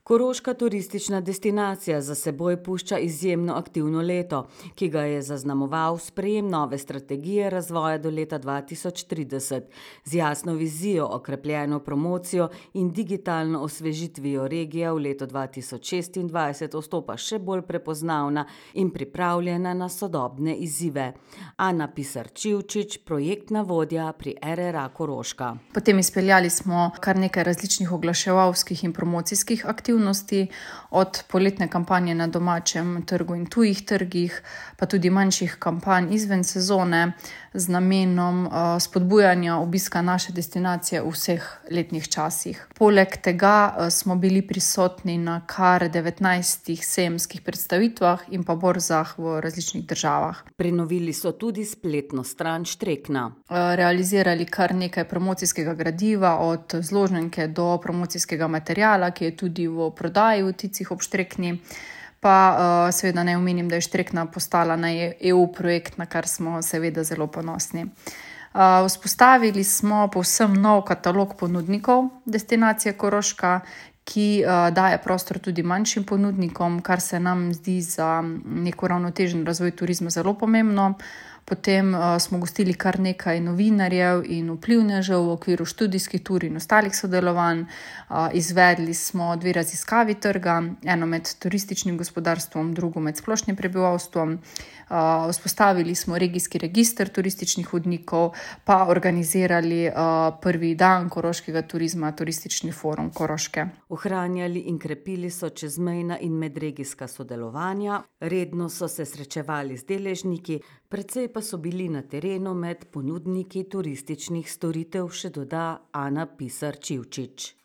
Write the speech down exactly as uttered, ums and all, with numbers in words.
Koroška turistična destinacija za seboj pušča izjemno aktivno leto, ki ga je zaznamoval sprejem nove strategije razvoja do leta dva tisoč trideset. Z jasno vizijo, okrepljeno promocijo in digitalno osvežitvijo regija v leto dva tisoč šestindvajset vstopa še bolj prepoznavna in pripravljena na sodobne izzive. Ana Pisar-Čivčič, projektna vodja pri er er a Koroška. Potem izpeljali smo kar nekaj različnih oglaševalskih in promocijskih aktivnosti, od poletne kampanje na domačem trgu in tujih trgih, pa tudi manjših kampanj izven sezone z namenom uh, spodbujanja obiska naše destinacije v vseh letnih časih. Poleg tega uh, smo bili prisotni na kar devetnajstih sejemskih predstavitvah in pa borzah v različnih državah. Prenovili so tudi spletno stran Štrekna. Uh, realizirali kar nekaj promocijskega gradiva, od zložnjenke do promocijskega materiala, ki je tudi v prodaji v Ticih ob Štrekni. Pa uh, seveda naj omenim, da je Štrekna postala na E U projekt, na kar smo seveda zelo ponosni. Uh, vzpostavili smo povsem nov katalog ponudnikov destinacije Koroška, ki uh, daje prostor tudi manjšim ponudnikom, kar se nam zdi za nek uravnotežen razvoj turizma zelo pomembno. Potem uh, smo gostili kar nekaj novinarjev in vplivnežev v okviru študijskih tur in ostalih sodelovanj. Uh, izvedli smo dve raziskavi trga, eno med turističnim gospodarstvom, drugo med splošnim prebivalstvom. Uh, vzpostavili smo regijski register turističnih vodnikov, pa organizirali uh, prvi dan koroškega turizma, turistični forum Koroške. Ohranjali in krepili so čezmejna in medregijska sodelovanja, redno so se srečevali z deležniki, precej pa so bili na terenu med ponudniki turističnih storitev, še doda Ana Pisar-Čivčič.